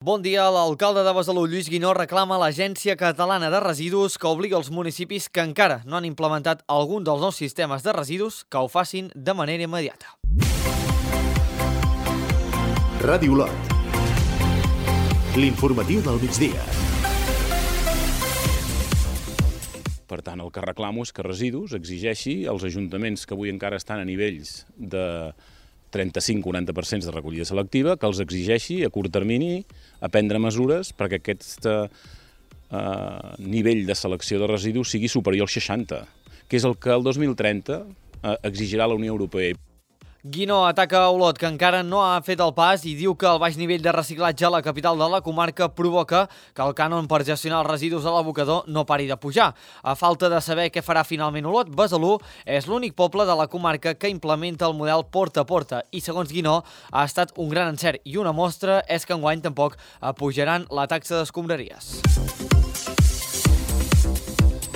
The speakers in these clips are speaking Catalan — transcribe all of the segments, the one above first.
Bon dia. L'alcalde de Besalú, Lluís Guinó, reclama a l'Agència Catalana de Residus que obligui els municipis que encara no han implementat algun dels nous sistemes de residus que ho facin de manera immediata. Ràdio Lot. L'informatiu del migdia. Per tant, el que reclamo és que Residus exigeixi als ajuntaments que avui encara estan a nivells de 35-40% de recollida selectiva, que els exigeixi a curt termini a prendre mesures perquè aquest nivell de selecció de residus sigui superior al 60%, que és el que el 2030 exigirà la Unió Europea. Guinó ataca Olot, que encara no ha fet el pas, i diu que el baix nivell de reciclatge a la capital de la comarca provoca que el cànon per gestionar els residus a l'abocador no pari de pujar. A falta de saber què farà finalment Olot, Besalú és l'únic poble de la comarca que implementa el model porta a porta i, segons Guinó, ha estat un gran encert, i una mostra és que enguany tampoc pujaran la taxa d'escombraries.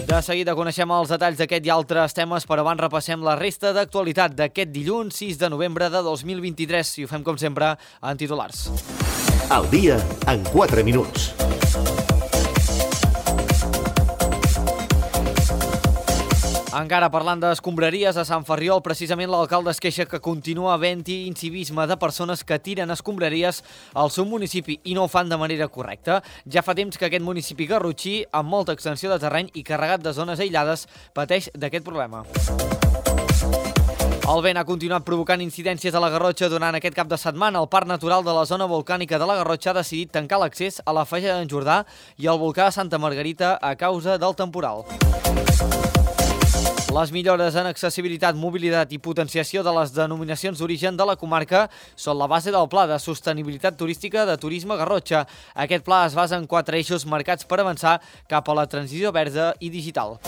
De seguida coneixem els detalls d'aquest i altres temes, però abans repassem la resta d'actualitat d'aquest dilluns 6 de novembre de 2023 i ho fem com sempre en titulars. Al dia en 4 minuts. Encara parlant d'escombraries, a Sant Ferriol, precisament l'alcalde es queixa que continua havent-hi incivisme de persones que tiren escombraries al seu municipi i no ho fan de manera correcta. Ja fa temps que aquest municipi garrotxí, amb molta extensió de terreny i carregat de zones aïllades, pateix d'aquest problema. El vent ha continuat provocant incidències a la Garrotxa durant aquest cap de setmana. El Parc Natural de la Zona Volcànica de la Garrotxa ha decidit tancar l'accés a la Falla d'en Jordà i al volcà de Santa Margarita a causa del temporal. Les millores en accessibilitat, mobilitat i potenciació de les denominacions d'origen de la comarca són la base del Pla de Sostenibilitat Turística de Turisme Garrotxa. Aquest pla es basa en 4 eixos marcats per avançar cap a la transició verda i digital.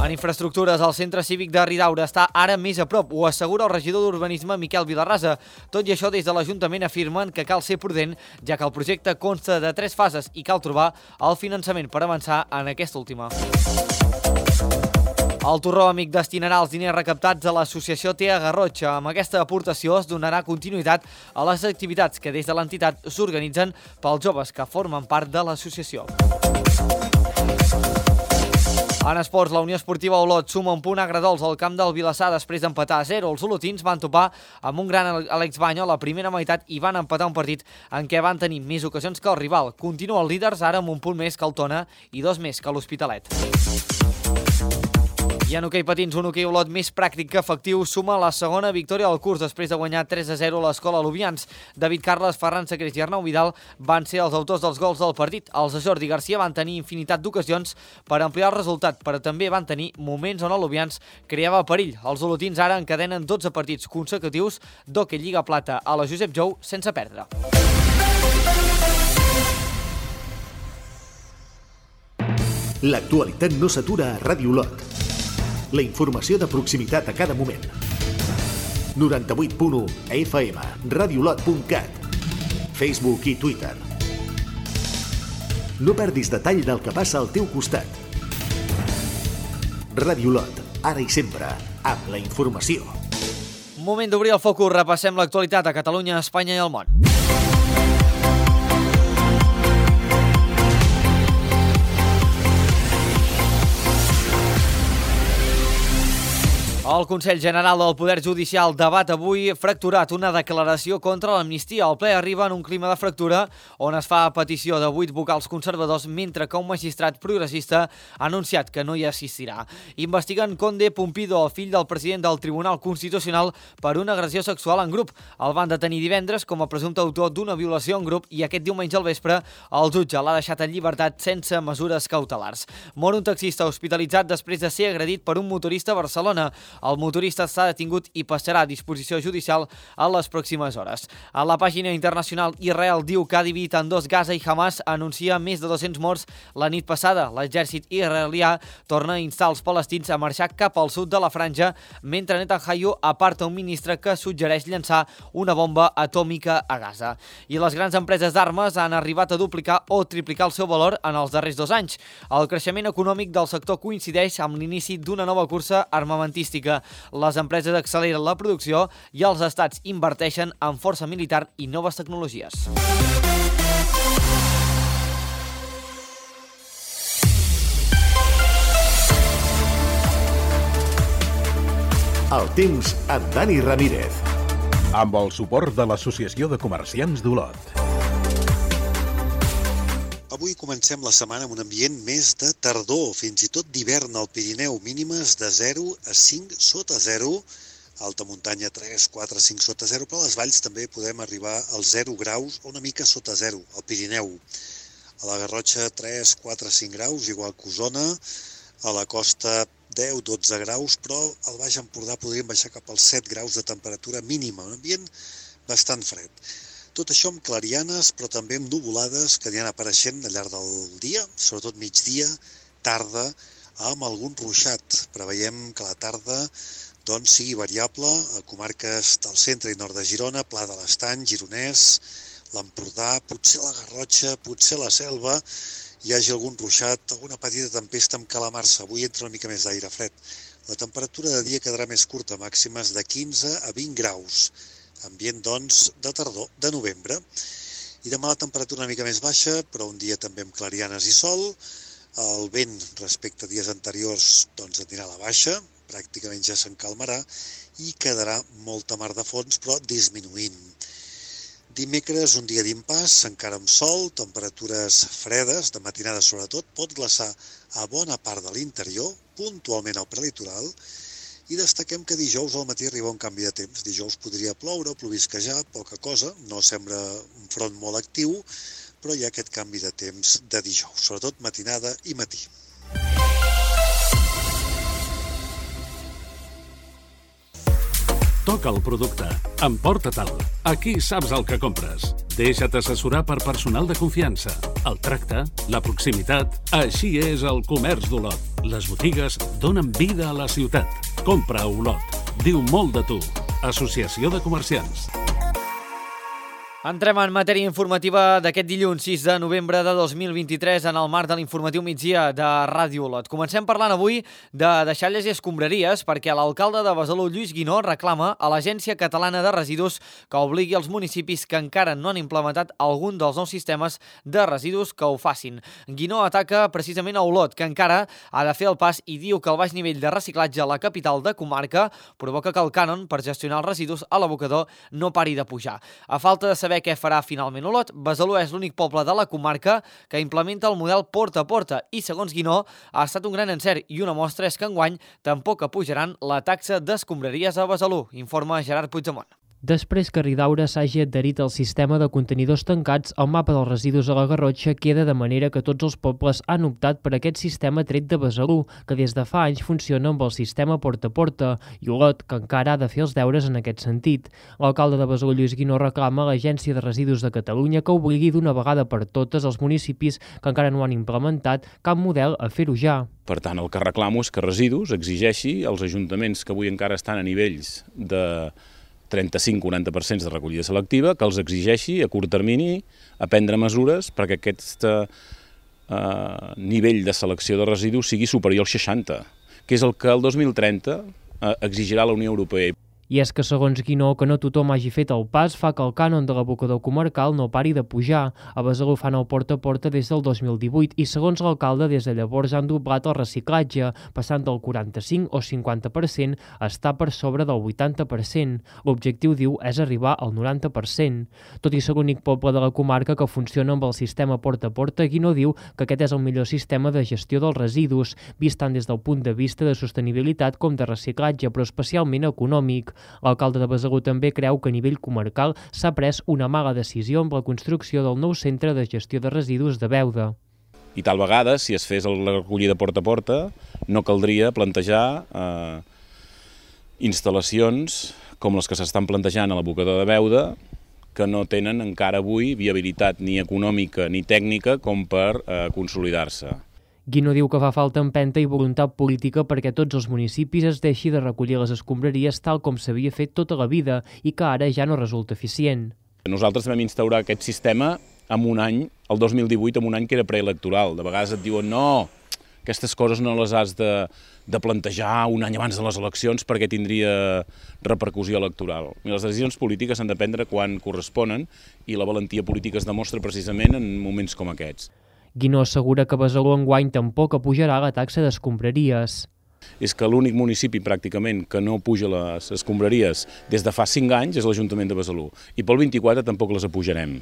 En infraestructures, el centre cívic de Ridaura està ara més a prop, ho assegura el regidor d'Urbanisme Miquel Vilarrasa. Tot i això, des de l'Ajuntament afirmen que cal ser prudent, ja que el projecte consta de 3 fases i cal trobar el finançament per avançar en aquesta última. El Torró Amic destinarà els diners recaptats a l'associació TEA Garrotxa. Amb aquesta aportació es donarà continuïtat a les activitats que des de l'entitat s'organitzen pels joves que formen part de l'associació. En esports, la Unió Esportiva Olot suma un punt agredols al camp del Vilassar després d'empatar a 0. Els olotins van topar amb un gran Àlex Banyo a la primera meitat i van empatar un partit en què van tenir més ocasions que el rival. Continuen líders ara amb un punt més que el Tona i 2 més que l'Hospitalet. I en hoquei patins, un hoquei Olot més pràctic que efectiu suma la segona victòria del curs després de guanyar 3-0 a l'Escola Lubians. David Carles, Ferran Sacrés i Arnau Vidal van ser els autors dels gols del partit. Els de Jordi Garcia van tenir infinitat d'ocasions per ampliar el resultat, però també van tenir moments on el Lubians creava perill. Els olotins ara encadenen 12 partits consecutius d'hoquei Lliga Plata a la Josep Jou sense perdre. L'actualitat no s'atura a Ràdio Lot. La informació de proximitat a cada moment. 98.1 FM, radiolot.cat, Facebook i Twitter. No perdis detall del que passa al teu costat. Ràdio Lot, ara i sempre, amb la informació. Moment d'obrir el focus, repassem l'actualitat a Catalunya, Espanya i el món. El Consell General del Poder Judicial debat avui fracturat una declaració contra l'amnistia. El ple arriba en un clima de fractura on es fa petició de 8 vocals conservadors, mentre que un magistrat progressista ha anunciat que no hi assistirà. Investiguen Conde Pumpido, el fill del president del Tribunal Constitucional, per una agressió sexual en grup. El van detenir divendres com a presumpte autor d'una violació en grup i aquest diumenge al vespre el jutge l'ha deixat en llibertat sense mesures cautelars. Mor un taxista hospitalitzat després de ser agredit per un motorista a Barcelona. El motorista està detingut i passarà a disposició judicial a les pròximes hores. A la pàgina internacional, Israel diu que ha dividit en 2 Gaza i Hamas anuncia més de 200 morts la nit passada. L'exèrcit israelià torna a instar els palestins a marxar cap al sud de la franja, mentre Netanyahu aparta un ministre que suggereix llançar una bomba atòmica a Gaza. I les grans empreses d'armes han arribat a duplicar o triplicar el seu valor en els darrers 2 anys. El creixement econòmic del sector coincideix amb l'inici d'una nova cursa armamentística que les empreses acceleren la producció i els estats inverteixen en força militar i noves tecnologies. El temps amb Dani Ramírez. Amb el suport de l'Associació de Comerciants d'Olot. Avui comencem la setmana amb un ambient més de tardor, fins i tot d'hivern al Pirineu, mínimes de 0 a 5 sota 0, alta muntanya 3, 4, 5 sota 0, però a les valls també podem arribar als 0 graus o una mica sota 0, al Pirineu. A la Garrotxa 3, 4, 5 graus, igual que Osona, a la costa 10, 12 graus, però al Baix Empordà podríem baixar cap als 7 graus de temperatura mínima, un ambient bastant fred. Tot això amb clarianes, però també amb nuvolades que aniran apareixent al llarg del dia, sobretot migdia, tarda, amb algun ruixat. Preveiem que la tarda sigui variable a comarques del centre i nord de Girona, Pla de l'Estany, Gironès, l'Empordà, potser la Garrotxa, potser la Selva, hi hagi algun ruixat, alguna petita tempesta amb calamarsa. Avui entra una mica més d'aire fred. La temperatura de dia quedarà més curta, màximes de 15 a 20 graus. Ambient, doncs, de tardor, de novembre. I demà la temperatura una mica més baixa, però un dia també amb clarianes i sol. El vent, respecte a dies anteriors, doncs anirà a la baixa, pràcticament ja s'encalmarà, i quedarà molta mar de fons, però disminuint. Dimecres, un dia d'impàs, encara amb sol, temperatures fredes, de matinada sobretot, pot glaçar a bona part de l'interior, puntualment al prelitoral, i destaquem que dijous al matí arriba un canvi de temps. Dijous podria ploure o plovisquejar, poca cosa, no sembla un front molt actiu, però hi ha aquest canvi de temps de dijous, sobretot matinada i matí. Toca el producte. Emporta-te'l. Aquí saps el que compres. Deixa't assessorar per personal de confiança. El tracte, la proximitat... Així és el comerç d'Olot. Les botigues donen vida a la ciutat. Compra a Olot. Diu molt de tu. Associació de Comerciants. Entrem en matèria informativa d'aquest dilluns 6 de novembre de 2023 en el marc de l'informatiu migdia de Ràdio Olot. Comencem parlant avui de deixalles i escombraries perquè l'alcalde de Besalú, Lluís Guinó, reclama a l'Agència Catalana de Residus que obligui els municipis que encara no han implementat algun dels nous sistemes de residus que ho facin. Guinó ataca precisament a Olot, que encara ha de fer el pas i diu que el baix nivell de reciclatge a la capital de comarca provoca que el cànon per gestionar els residus a l'abocador no pari de pujar. A falta de saber què farà finalment Olot, Besalú és l'únic poble de la comarca que implementa el model porta a porta i, segons Guinó, ha estat un gran encert i una mostra és que enguany tampoc apujaran la taxa d'escombraries a Besalú, informa Gerard Puigdemont. Després que Ridaura s'hagi adherit al sistema de contenidors tancats, el mapa dels residus a la Garrotxa queda de manera que tots els pobles han optat per aquest sistema tret de Besalú, que des de fa anys funciona amb el sistema porta a porta, i Olot, que encara ha de fer els deures en aquest sentit. L'alcalde de Besalú, Lluís Guinó, reclama a l'Agència de Residus de Catalunya que obligui d'una vegada per totes els municipis que encara no han implementat cap model a fer-ho ja. Per tant, el que reclamo és que Residus exigeixi als ajuntaments que avui encara estan a nivells de 35-40% de recollida selectiva, que els exigeixi a curt termini a prendre mesures perquè aquest nivell de selecció de residus sigui superior al 60%, que és el que el 2030 exigirà la Unió Europea. I és que, segons Guinó, que no tothom hagi fet el pas fa que el cànon de l'abocador comarcal no pari de pujar. A Besalú fan el porta a porta des del 2018 i, segons l'alcalde, des de llavors han doblat el reciclatge, passant del 45 o 50% a estar per sobre del 80%. L'objectiu, diu, és arribar al 90%. Tot i ser l'únic poble de la comarca que funciona amb el sistema porta a porta, Guinó diu que aquest és el millor sistema de gestió dels residus, vist tant des del punt de vista de sostenibilitat com de reciclatge, però especialment econòmic. L'alcalde de Besalú també creu que a nivell comarcal s'ha pres una mala decisió amb la construcció del nou centre de gestió de residus de Beuda. I tal vegada, si es fes la recollida porta a porta, no caldria plantejar instal·lacions com les que s'estan plantejant a l'abocador de Beuda, que no tenen encara avui viabilitat ni econòmica ni tècnica com per consolidar-se. Guinó diu que fa falta empenta i voluntat política perquè tots els municipis es deixi de recollir les escombraries tal com s'havia fet tota la vida i que ara ja no resulta eficient. Nosaltres vam instaurar aquest sistema en un any, el 2018, en un any que era preelectoral. De vegades et diuen no, Aquestes coses no les has de plantejar un any abans de les eleccions perquè tindria repercussió electoral. Les decisions polítiques s'han de prendre quan corresponen i la valentia política es demostra precisament en moments com aquests. Guinó assegura que Besalú enguany tampoc apujarà la taxa d'escombraries. És que l'únic municipi pràcticament que no puja les escombraries des de fa 5 anys és l'Ajuntament de Besalú. I pel 24 tampoc les apujarem.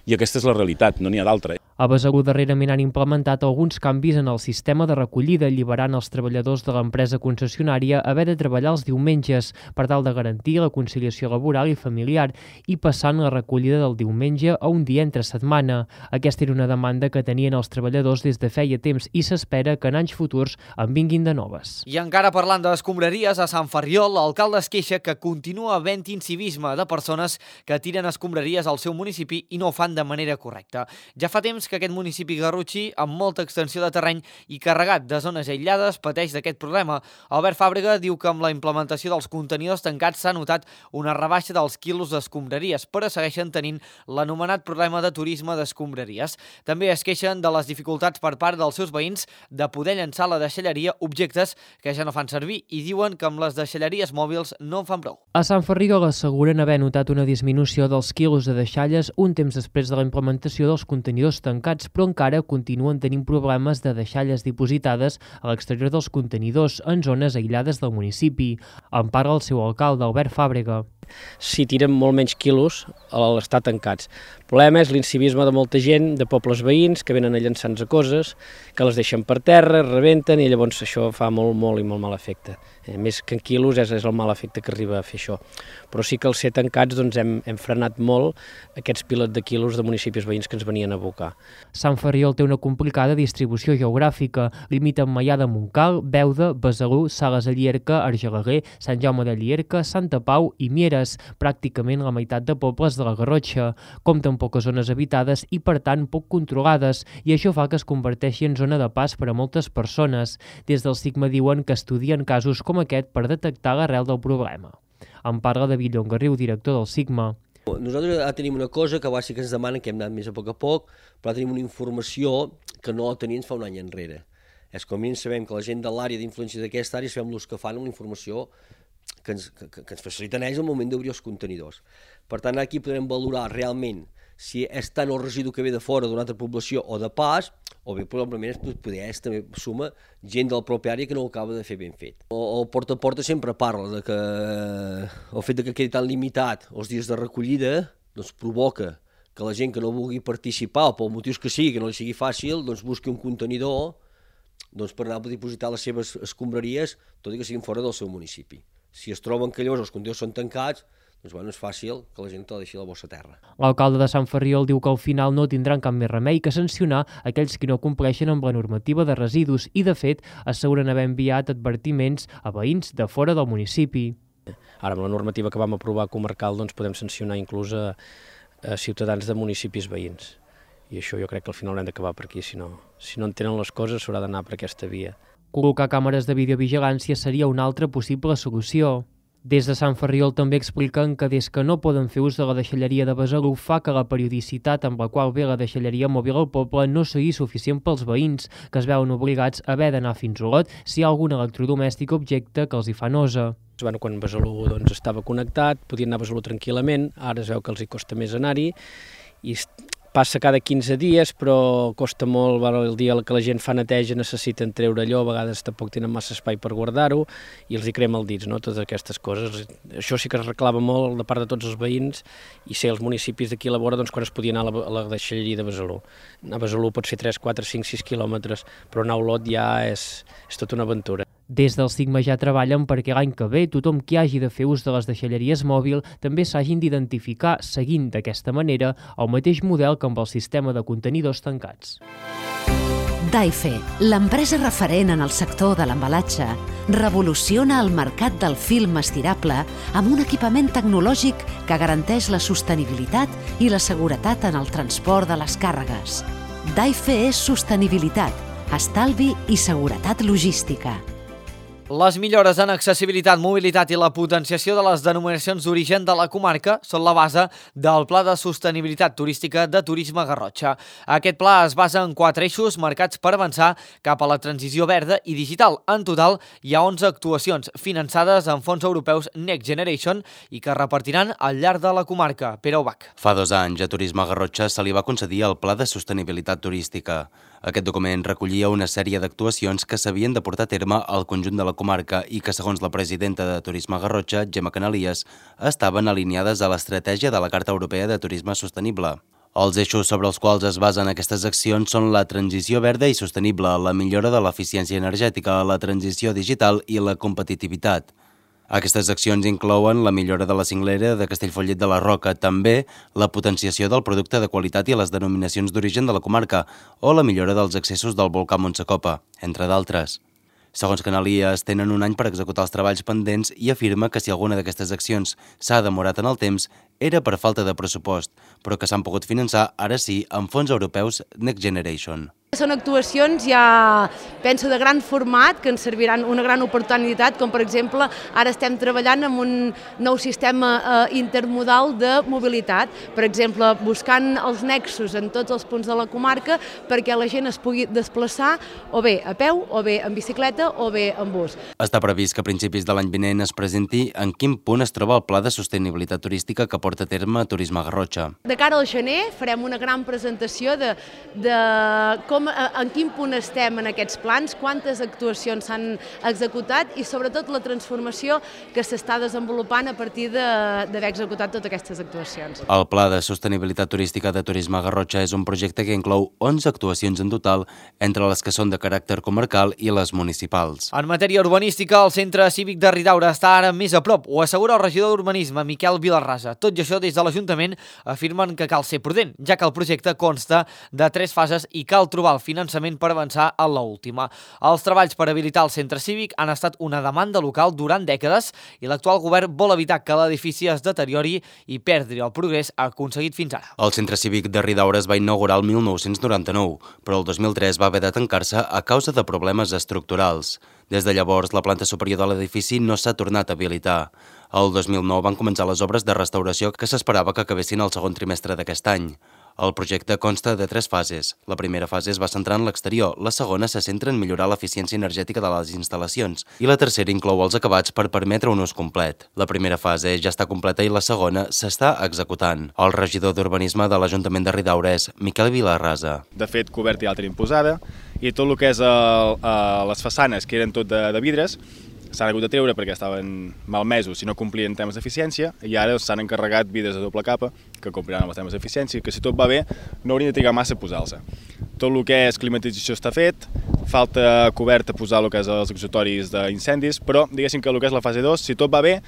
I aquesta és la realitat, no n'hi ha d'altra. A Besalú darrerament han implementat alguns canvis en el sistema de recollida, alliberant els treballadors de l'empresa concessionària a haver de treballar els diumenges per tal de garantir la conciliació laboral i familiar i passant la recollida del diumenge a un dia entre setmana. Aquesta era una demanda que tenien els treballadors des de feia temps i s'espera que en anys futurs en vinguin de noves. I encara parlant d'escombraries, a Sant Ferriol, l'alcalde es queixa que continua havent incivisme de persones que tiren escombraries al seu municipi i no ho fan de manera correcta. Ja fa temps que aquest municipi garrotxí, amb molta extensió de terreny i carregat de zones aïllades, pateix d'aquest problema. Albert Fàbrega diu que amb la implementació dels contenidors tancats s'ha notat una rebaixa dels quilos d'escombraries, però segueixen tenint l'anomenat problema de turisme d'escombraries. També es queixen de les dificultats per part dels seus veïns de poder llançar a la deixalleria objectes que ja no fan servir i diuen que amb les deixalleries mòbils no en fan prou. A Sant Ferriol asseguren haver notat una disminució dels quilos de deixalles un temps després de la implementació dels contenidors tancats, però encara continuen tenint problemes de deixalles dipositades a l'exterior dels contenidors en zones aïllades del municipi. En parla el seu alcalde, Albert Fàbrega. Si tiren molt menys quilos a l'estar tancats. El problema és l'incivisme de molta gent, de pobles veïns, que venen a llançar-nos coses, que les deixen per terra, rebenten, i llavors això fa molt mal efecte. Més que en quilos és el mal efecte que arriba a fer això. Però sí que al ser tancats hem frenat molt aquests pilets de quilos de municipis veïns que ens venien a abocar. Sant Ferriol té una complicada distribució geogràfica. Limita amb Maià de Montcal, Beuda, Besalú, Sales de Llierca, Argelaguer, Sant Jaume de Llierca, Santa Pau i Mieres, pràcticament la meitat de pobles de la Garrotxa. Compta amb poques zones habitades i, per tant, poc controlades, i això fa que es converteixi en zona de pas per a moltes persones. Des del Sigma diuen que estudien casos com aquest per detectar l'arrel del problema. En parla David Llongarriu, director del Sigma. Nosaltres tenim una cosa que sí que ens demanen, que hem anat més a poc, però tenim una informació que no la teníem fa un any enrere. És com a mínim sabem que la gent de l'àrea d'influència d'aquesta àrea sabem els que fan amb la informació que ens faciliten ells al moment d'obrir els contenidors. Per tant, aquí podrem valorar realment si és tant el residu que ve de fora d'una altra població o de pas, o bé probablement també suma gent de la pròpia àrea que no ho acaba de fer ben fet. El porta a porta sempre parla de que el fet que quedi tan limitat els dies de recollida doncs provoca que la gent que no vulgui participar o per motius que sigui, que no li sigui fàcil, doncs busqui un contenidor per anar a dipositar les seves escombraries, tot i que siguin fora del seu municipi. Si es troben que llavors els contenidors són tancats, doncs és fàcil que la gent te la deixi a la bossa terra. L'alcalde de Sant Ferriol diu que al final no tindran cap més remei que sancionar aquells que no compleixen amb la normativa de residus i, de fet, asseguren haver enviat advertiments a veïns de fora del municipi. Ara, amb la normativa que vam aprovar comarcal, doncs podem sancionar inclús a ciutadans de municipis veïns. I això jo crec que al final haurem d'acabar per aquí, si no entenen les coses s'haurà d'anar per aquesta via. Col·locar càmeres de videovigilància seria una altra possible solució. Des de Sant Ferriol també expliquen que des que no poden fer ús de la deixalleria de Besalú fa que la periodicitat amb la qual ve la deixalleria mòbil al poble no sigui suficient pels veïns, que es veuen obligats a haver d'anar fins a Olot si hi ha algun electrodomèstic objecte que els hi fa nosa. Quan Besalú estava connectat, podien anar a Besalú tranquil·lament, ara es veu que els hi costa més anar-hi, i passa cada 15 dies, però costa molt, el dia que la gent fa neteja necessiten treure allò, a vegades tampoc tenen massa espai per guardar-ho, i els hi crema el dits, totes aquestes coses. Això sí que es reclama molt de part de tots els veïns, i ser els municipis d'aquí a la vora quan es podia anar a la deixalleria de Besalú. A Besalú pot fer 3, 4, 5, 6 quilòmetres, però anar a Olot ja és tota una aventura. Des del Sigma ja treballen perquè l'any que ve tothom qui hagi de fer ús de les deixalleries mòbil també s'hagin d'identificar seguint d'aquesta manera el mateix model que amb el sistema de contenidors tancats. Daife, l'empresa referent en el sector de l'embalatge, revoluciona el mercat del film estirable amb un equipament tecnològic que garanteix la sostenibilitat i la seguretat en el transport de les càrregues. Daife és sostenibilitat, estalvi i seguretat logística. Les millores en accessibilitat, mobilitat i la potenciació de les denominacions d'origen de la comarca són la base del Pla de Sostenibilitat Turística de Turisme Garrotxa. Aquest pla es basa en 4 eixos marcats per avançar cap a la transició verda i digital. En total, hi ha 11 actuacions finançades amb fons europeus Next Generation i que repartiran al llarg de la comarca. Pere Ubach. Fa 2 anys a Turisme Garrotxa se li va concedir el Pla de Sostenibilitat Turística. Aquest document recollia una sèrie d'actuacions que s'havien de portar a terme al conjunt de la comarca i que, segons la presidenta de Turisme Garrotxa, Gemma Canalies, estaven alineades a l'estratègia de la Carta Europea de Turisme Sostenible. Els eixos sobre els quals es basen aquestes accions són la transició verda i sostenible, la millora de l'eficiència energètica, la transició digital i la competitivitat. Aquestes accions inclouen la millora de la cinglera de Castellfollit de la Roca, també la potenciació del producte de qualitat i les denominacions d'origen de la comarca o la millora dels accessos del volcà Montsecopa, entre d'altres. Segons Canalies, tenen un any per executar els treballs pendents i afirma que si alguna d'aquestes accions s'ha demorat en el temps era per falta de pressupost, però que s'han pogut finançar, ara sí, amb fons europeus Next Generation. Són actuacions ja, penso, de gran format, que ens serviran una gran oportunitat, com per exemple, ara estem treballant amb un nou sistema intermodal de mobilitat, per exemple, buscant els nexos en tots els punts de la comarca perquè la gent es pugui desplaçar o bé a peu, o bé en bicicleta, o bé en bus. Està previst que a principis de l'any vinent es presenti en quin punt es troba el Pla de Sostenibilitat Turística que porta a terme Turisme Garrotxa. De cara al gener farem una gran presentació de com en quin punt estem en aquests plans, quantes actuacions s'han executat i sobretot la transformació que s'està desenvolupant a partir d'haver executat totes aquestes actuacions. El Pla de Sostenibilitat Turística de Turisme Garrotxa és un projecte que inclou 11 actuacions en total, entre les que són de caràcter comarcal i les municipals. En matèria urbanística, el Centre Cívic de Ridaura està ara més a prop, ho assegura el regidor d'Urbanisme, Miquel Vilarrasa. Tot i això, des de l'Ajuntament afirmen que cal ser prudent, ja que el projecte consta de 3 fases i cal trobar el finançament per avançar a l'última. Els treballs per habilitar el centre cívic han estat una demanda local durant dècades i l'actual govern vol evitar que l'edifici es deteriori i perdri el progrés aconseguit fins ara. El Centre Cívic de Ridaura es va inaugurar el 1999, però el 2003 va haver de tancar-se a causa de problemes estructurals. Des de llavors, la planta superior de l'edifici no s'ha tornat a habilitar. El 2009 van començar les obres de restauració que s'esperava que acabessin el segon trimestre d'aquest any. El projecte consta de 3 fases. La primera fase es va centrar en l'exterior, la segona se centra en millorar l'eficiència energètica de les instal·lacions i la tercera inclou els acabats per permetre un ús complet. La primera fase ja està completa i la segona s'està executant. El regidor d'Urbanisme de l'Ajuntament de Ridaura és Miquel Vilarrasa. De fet, coberta ja la tenim posada i tot el que és les façanes, que eren tot de vidres, s'han hagut de treure perquè estaven malmesos si no complien temes d'eficiència i ara s'han encarregat vidres de doble capa que compliran amb els temes d'eficiència, que si tot va bé no haurien de trigar massa a posar-se. Tot el que és climatització està fet, falta coberta posar el que és els exutoris d'incendis, però diguéssim que el que és la fase 2, si tot va bé,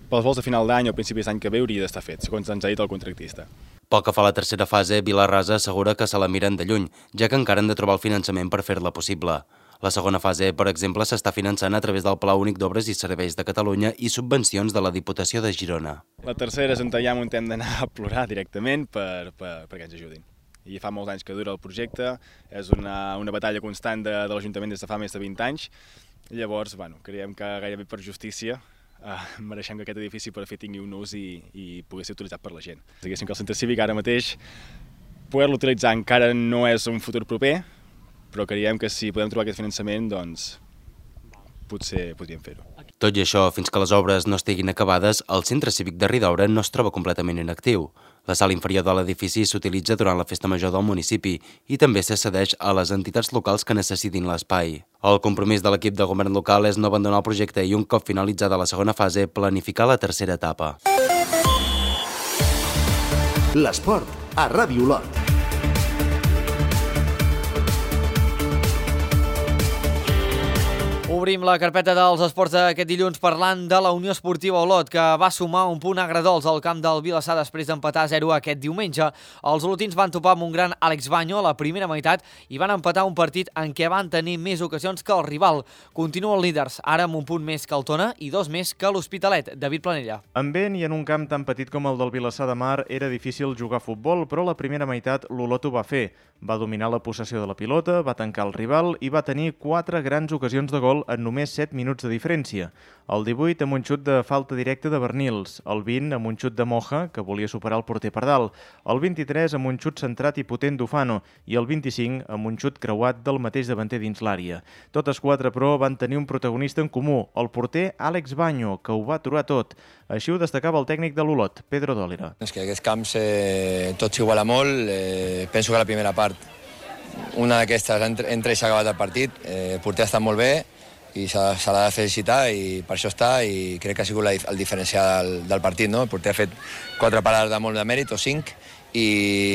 pels vols de final d'any o principis d'any que ve hauria d'estar fet, segons ens ha dit el contractista. Pel que fa a la tercera fase, Vilarrasa assegura que se la miren de lluny, ja que encara han de trobar el finançament per fer-la possible. La segona fase, per exemple, s'està finançant a través del Pla Únic d'Obres i Serveis de Catalunya i subvencions de la Diputació de Girona. La tercera és on ja hem d'anar a plorar directament perquè ens ajudin. I fa molts anys que dura el projecte, és una batalla constant de l'Ajuntament des de fa més de 20 anys. Llavors, creiem que gairebé per justícia mereixem que aquest edifici per fi tingui un ús i pugui ser utilitzat per la gent. Diguéssim que el centre cívic ara mateix poder-lo utilitzar encara no és un futur proper, però creiem que si podem trobar aquest finançament, doncs potser podríem fer-ho. Tot i això, fins que les obres no estiguin acabades, el Centre Cívic de Ridaura no es troba completament inactiu. La sala inferior de l'edifici s'utilitza durant la festa major del municipi i també se cedeix a les entitats locals que necessitin l'espai. El compromís de l'equip de govern local és no abandonar el projecte i un cop finalitzada la segona fase, planificar la tercera etapa. L'esport a Ràdio Olot. Obrim la carpeta dels esports d'aquest dilluns parlant de la Unió Esportiva Olot, que va sumar un punt agradols al camp del Vilassar després d'empatar 0 aquest diumenge. Els olotins van topar amb un gran Àlex Baño a la primera meitat i van empatar un partit en què van tenir més ocasions que el rival. Continuen líders, ara amb un punt més que el Tona i 2 més que l'Hospitalet. David Planella. En vent i en un camp tan petit com el del Vilassar de Mar era difícil jugar a futbol, però la primera meitat l'Olot ho va fer. Va dominar la possessió de la pilota, va tancar el rival i va tenir 4 grans ocasions de gol en només 7 minuts de diferència. El 18 amb un xut de falta directa de Bernils, el 20 amb un xut de Moja, que volia superar el porter Pardal, el 23 amb un xut centrat i potent d'Ufano i el 25 amb un xut creuat del mateix davanter dins l'àrea. Totes 4, però, van tenir un protagonista en comú, el porter Àlex Baño, que ho va aturar tot. Així ho destacava el tècnic de l'Olot, Pedro Dòlera. És que aquests camps tot s'iguala molt. Penso que la primera part, una d'aquestes entra i s'ha acabat el partit. El porter ha estat molt bé i se l'ha de felicitar i per això està, i crec que ha sigut el diferencial del partit, no? El porter ha fet 4 parades de molt de mèrit, o 5, i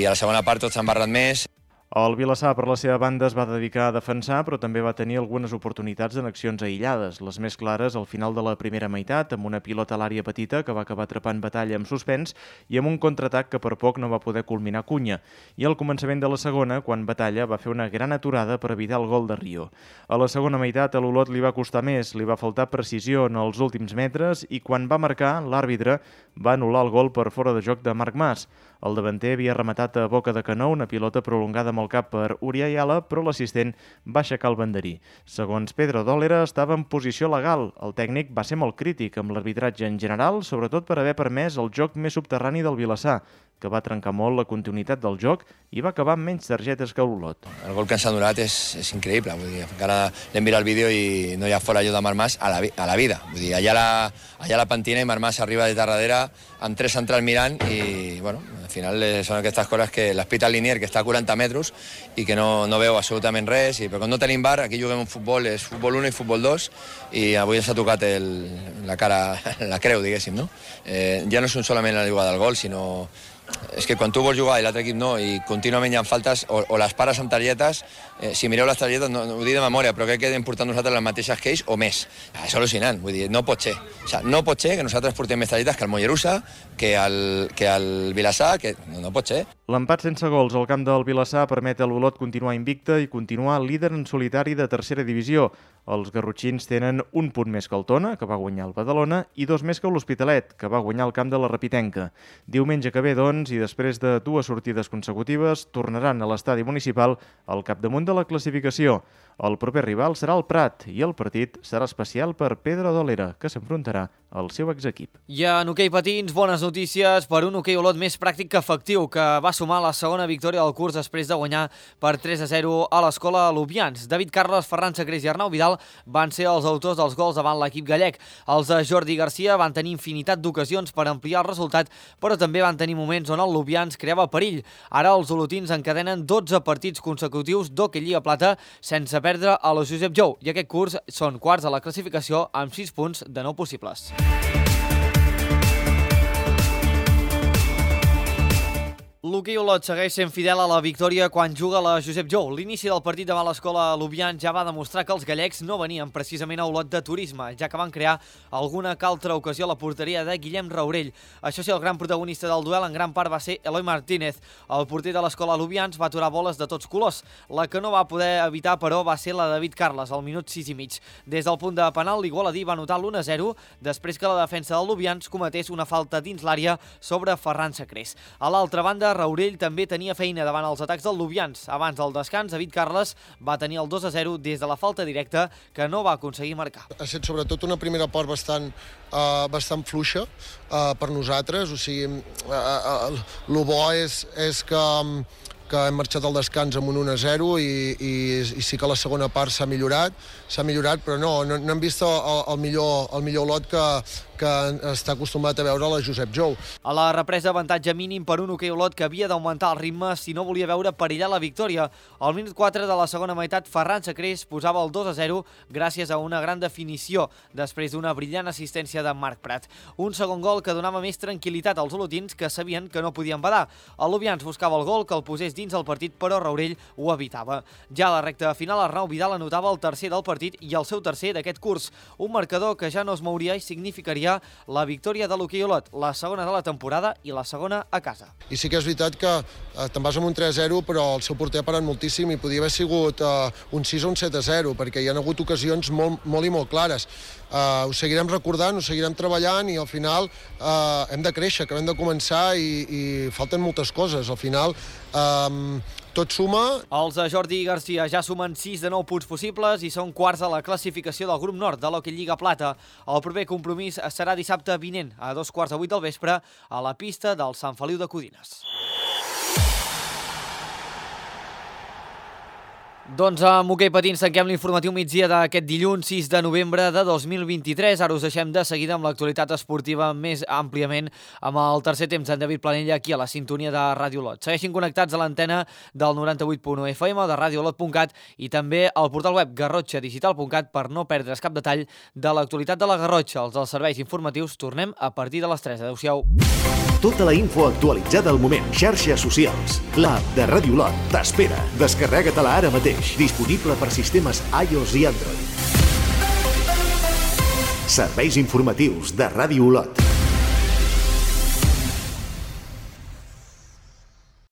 a la segona part tots s'han barrat més. El Vilassar, per la seva banda, es va dedicar a defensar, però també va tenir algunes oportunitats en accions aïllades. Les més clares al final de la primera meitat, amb una pilota a l'àrea petita que va acabar atrapant Batalla amb suspens i amb un contraatac que per poc no va poder culminar Cunha. I al començament de la segona, quan Batalla va fer una gran aturada per evitar el gol de Rio. A la segona meitat, a l'Olot li va costar més, li va faltar precisió en els últims metres i quan va marcar, l'àrbitre va anul·lar el gol per fora de joc de Marc Mas. El davanter havia rematat a boca de canó una pilota prolongada amb el cap per Uri Ayala, però l'assistent va aixecar el banderí. Segons Pedro Dòlera, estava en posició legal. El tècnic va ser molt crític amb l'arbitratge en general, sobretot per haver permès el joc més subterrani del Vilassar, que va trencar molt la continuïtat del joc i va acabar amb menys targetes que l'Olot. El gol que ens ha donat és increïble. Vull dir, encara l'hem mirat el vídeo i no hi ha fora allò de Marc Mas a la vida. Vull dir, allà la pentina i Marc Mas arriba de darrere amb 3 centrals mirant i, bueno, al final són aquestes coses que l'espita el linier, que està a 40 metres i que no veu absolutament res. Però quan no tenim VAR, aquí juguem un futbol, és futbol 1 i futbol 2, i avui ens ha tocat la cara, la creu, diguéssim, no? Ja no és solament la jugada del gol, sinó és que quan tu vols jugar i l'altre equip no, i contínuament hi ha faltes, o les pares amb targetes, si mireu les targetes, no ho dic de memòria, però crec que hem portat nosaltres les mateixes que ells o més. És al·lucinant, vull dir, no pot ser. O sigui, no pot ser que nosaltres portem més targetes que el Mollerussa, que el Vilassar, que no pot ser. L'empat sense gols al camp del Vilassar permet a l'Olot continuar invicta i continuar líder en solitari de tercera divisió. Els garrotxins tenen un punt més que el Tona, que va guanyar el Badalona, i 2 més que l'Hospitalet, que va guanyar el camp de la Rapitenca. Diumenge que ve, doncs, i després de 2 sortides consecutives, tornaran a l'estadi municipal al capdamunt de la classificació. El proper rival serà el Prat i el partit serà especial per Pedro Dòlera, que s'enfrontarà al seu exequip. I en hoquei patins, bones notícies per un hoquei Olot més pràctic que efectiu, que va sumar la segona victòria del curs després de guanyar per 3-0 a l'escola Lubians. David Carles, Ferran Sacrés i Arnau Vidal van ser els autors dels gols davant l'equip gallec. Els de Jordi Garcia van tenir infinitat d'ocasions per ampliar el resultat, però també van tenir moments on el Lubians creava perill. Ara els olotins encadenen 12 partits consecutius d'hoquei Lliga Plata sense perdre a la Josep Jou, i aquest curs són quarts a la classificació amb 6 punts de 9 possibles. L'hoquei Olot segueix sent fidel a la victòria quan juga la Josep Jou. L'inici del partit davant l'escola Lubians ja va demostrar que els gallecs no venien precisament a Olot de turisme, ja que van crear alguna que altra ocasió a la porteria de Guillem Raurell. Això sí, el gran protagonista del duel en gran part va ser Eloi Martínez. El porter de l'escola Lubians va aturar boles de tots colors. La que no va poder evitar, però, va ser la de David Carles, al minut 6 i mig. Des del punt de penal, l'Igualadí va anotar l'1-0 després que la defensa del Lubians cometés una falta dins l'àrea sobre Ferran Sacrés. A l'altra banda, Raurell també tenia feina davant els atacs del Lubians. Abans del descans, David Carles va tenir el 2-0 des de la falta directa que no va aconseguir marcar. Ha estat sobretot una primera part bastant fluixa per nosaltres. O sigui, el bo és que hem marxat al descans amb un 1-0 i sí que la segona part s'ha millorat, però no hem vist el millor Olot que està acostumat a veure la Josep Jou. A la represa, avantatge mínim per un hoquei Olot que havia d'augmentar el ritme si no volia veure perillar la victòria. Al minut 4 de la segona meitat, Ferran Sacrés posava el 2-0 gràcies a una gran definició després d'una brillant assistència de Marc Prat. Un segon gol que donava més tranquil·litat als olotins, que sabien que no podien badar. El Lubians buscava el gol que el posés dins el partit, però Raurell ho evitava. Ja a la recta final, Arnau Vidal anotava el tercer del partit i el seu tercer d'aquest curs. Un marcador que ja no es mouria i significaria la victòria de l'hoquei Olot, la segona de la temporada i la segona a casa. I sí que és veritat que te'n vas amb un 3-0, però el seu porter ha parat moltíssim i podia haver sigut un 6 o un 7-0, perquè hi ha hagut ocasions molt i molt clares. Ho seguirem recordant, ho seguirem treballant i al final hem de créixer, acabem de començar i falten moltes coses. Al final tot suma. Els de Jordi Garcia ja sumen 6 de 9 punts possibles i són quarts a la classificació del grup nord de l'Hockey Lliga Plata. El proper compromís serà dissabte vinent a 2:15 del vespre a la pista del Sant Feliu de Codines. Doncs amb hoquei patins tanquem l'informatiu migdia d'aquest dilluns 6 de novembre de 2023. Ara us deixem de seguida amb l'actualitat esportiva més àmpliament amb el tercer temps d'en David Planella aquí a la sintonia de Ràdio Olot. Segueixin connectats a l'antena del 98.1 FM de radioolot.cat i també al portal web garrotxadigital.cat per no perdre's cap detall de l'actualitat de la Garrotxa. Els dels serveis informatius tornem a partir de les 3. Adéu-siau. Tota la info actualitzada al moment. Xarxes socials. L'app de Ràdio Olot t'espera. Descarrega-te-la ara mateix. Disponible per sistemes iOS i Android. Serveis informatius de Ràdio Olot.